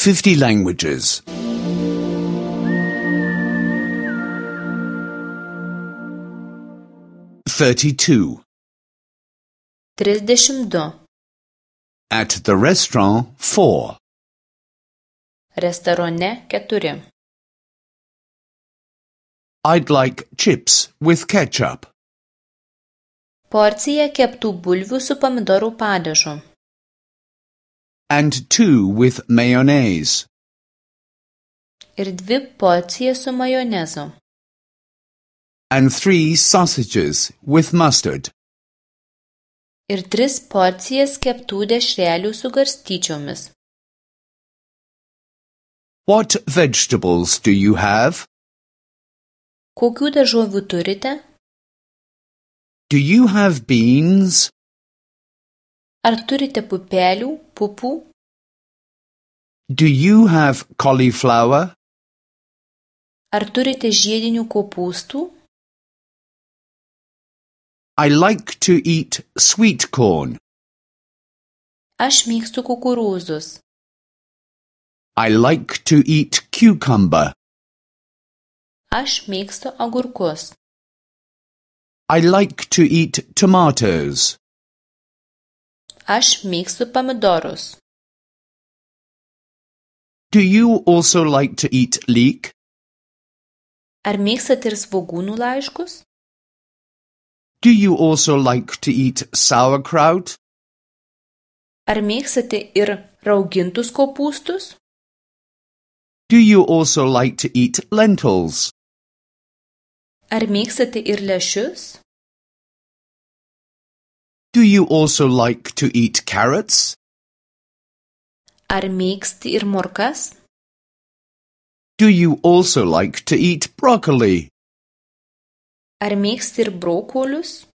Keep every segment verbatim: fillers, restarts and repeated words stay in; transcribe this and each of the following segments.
fifty languages. thirty-two. Trisdešimt du. At the restaurant, four. Restorane keturi. I'd like chips with ketchup. Porcija keptų bulvių su pomidorų padažu. And two with mayonnaise. Ir dvi porcijas su majonezu. And three sausages with mustard. Ir tris porcijas keptų dešrelių su garstyčiomis. What vegetables do you have? Kokių daržovių turite? Do you have beans? Ar turite pupelių, pupų? Do you have cauliflower? Ar turite žiedinių kopūstų? I like to eat sweet corn. Aš mėgstu kukurūzus. I like to eat cucumber. Aš mėgstu agurkus. I like to eat tomatoes. Aš mėgstu pomidorus. Do you also like to eat leek? Ar mėgstate ir svogūnų laiškus? Do you also like to eat sauerkraut? Ar mėgstate ir raugintus kopūstus? Do you also like to eat lentils? Ar mėgstate ir lęšius? Do you also like to eat carrots? Ar mėgsti ir morkas? Do you also like to eat broccoli? Ar mėgsti ir brokolius?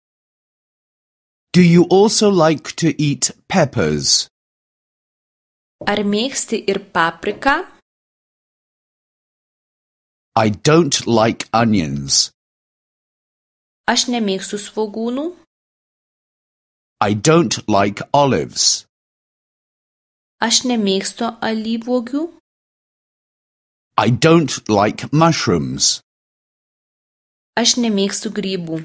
Do you also like to eat peppers? Ar mėgsti ir papriką? I don't like onions. Aš nemėgstu svogūnų. I don't like olives. Aš nemėgstu alyvuogių. I don't like mushrooms. Aš nemėgstu grybų.